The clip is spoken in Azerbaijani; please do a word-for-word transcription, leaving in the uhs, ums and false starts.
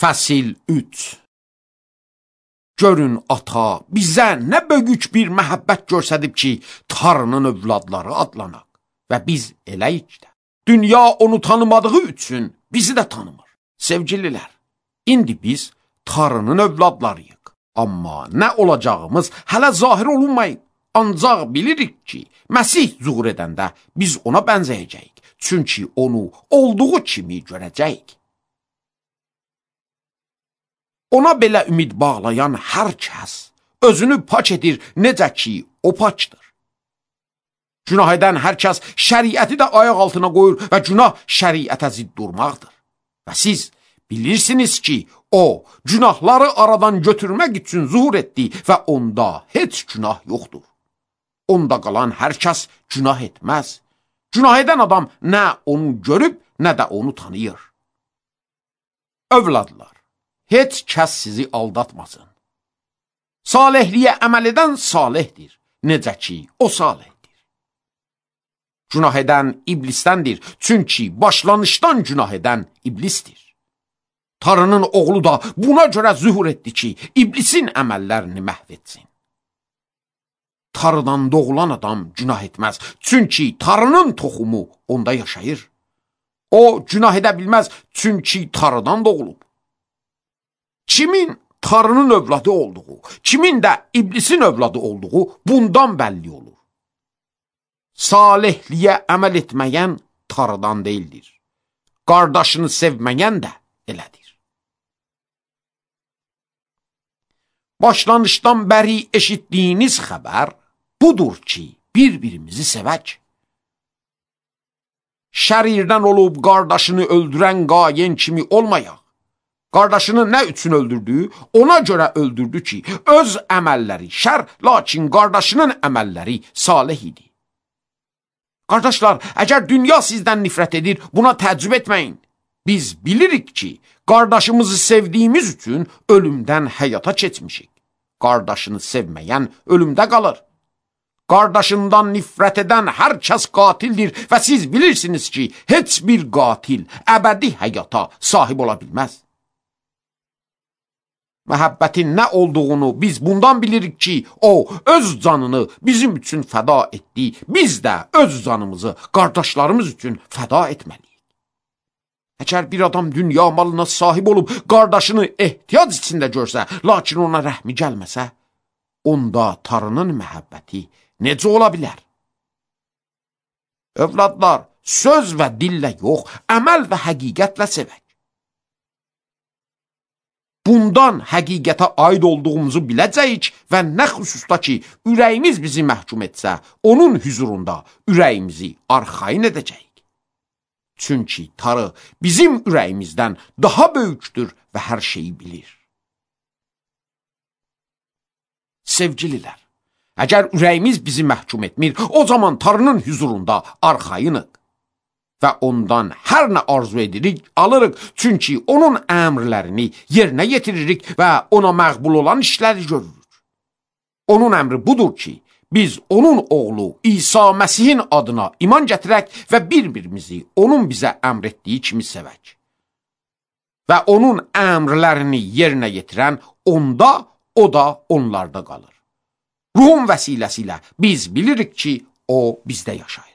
Fəsil üç. Görün ata bizə nə böyük bir məhəbbət göstərib ki, Tanrının övladları adlanaq və biz eləyik də. Dünya onu tanımadığı üçün bizi də tanımır. Sevgililər, indi biz Tanrının övladlarıyıq. Amma nə olacağımız hələ zahir olunmayıb. Ancaq bilirik ki, Məsih zuhur edəndə biz ona bənzəyəcəyik. Çünki onu olduğu kimi görəcəyik. Ona belə ümid bağlayan hər kəs özünü pak edir, necə ki, o pakdır. Günah edən hər kəs şəriəti də ayaq altına qoyur və günah şəriətə zidd durmaqdır. Və siz bilirsiniz ki, o, günahları aradan götürmək üçün zuhur etdi və onda heç günah yoxdur. Onda qalan hər kəs günah etməz. Günah edən adam nə onu görüb, nə də onu tanıyır. Övladlar, heç kəs sizi aldatmasın. Salihliyə əməl edən salihdir, necə ki, o salihdir. Günah edən iblisdəndir, çünki başlanışdan günah edən iblisdir. Tanrının oğlu da buna görə zühur etdi ki, iblisin əməllərini məhv etsin. Tanrıdan doğulan adam günah etməz, çünki Tanrının toxumu onda yaşayır. O, günah edə bilməz, çünki Tanrıdan doğulub. Kimin Tanrının övladı olduğu, kimin də iblisin övladı olduğu bundan bəlli olur. Salihliyə əməl etməyən Tanrıdan deyildir. Qardaşını sevməyən də elədir. Başlanışdan bəri eşitdiyiniz xəbər budur ki, bir-birimizi sevək. Şərirdən olub qardaşını öldürən qayen kimi olmayaq. Qardaşını nə üçün öldürdü? Ona görə öldürdü ki, öz əməlləri şər, lakin qardaşının əməlləri salih idi. Qardaşlar, əgər dünya sizdən nifrət edir, buna təəccüb etməyin. Biz bilirik ki, qardaşımızı sevdiyimiz üçün ölümdən həyata keçmişik. Qardaşını sevməyən ölümdə qalır. Qardaşından nifrət edən hər kəs qatildir və siz bilirsiniz ki, heç bir qatil əbədi həyata sahib ola bilməz. Məhəbbətin nə olduğunu biz bundan bilirik ki, o öz canını bizim üçün fəda etdi, biz də öz canımızı qardaşlarımız üçün fəda etməliyik. Əgər bir adam dünya malına sahib olub qardaşını ehtiyac içində görsə, lakin ona rəhmi gəlməsə, onda Tanrının məhəbbəti necə ola bilər? Övladlar, söz və dillə yox, əməl və həqiqətlə sevək. Bundan həqiqətə aid olduğumuzu biləcəyik və nə xüsusda ki, ürəyimiz bizi məhkum etsə, onun hüzurunda ürəyimizi arxayın edəcəyik. Çünki Tanrı bizim ürəyimizdən daha böyükdür və hər şeyi bilir. Sevgililər, əgər ürəyimiz bizi məhkum etmir, o zaman Tanrının hüzurunda arxayınıq. Və ondan hər nə arzu edirik, alırıq. Çünki onun əmrlərini yerinə yetiririk və ona məqbul olan işləri görürük. Onun əmri budur ki, biz onun oğlu İsa Məsihin adına iman gətirək və bir-birimizi onun bizə əmr etdiyi kimi sevək. Və onun əmrlərini yerinə yetirən onda, o da onlarda qalır. Ruhun vəsiləsi ilə biz bilirik ki, o bizdə yaşayır.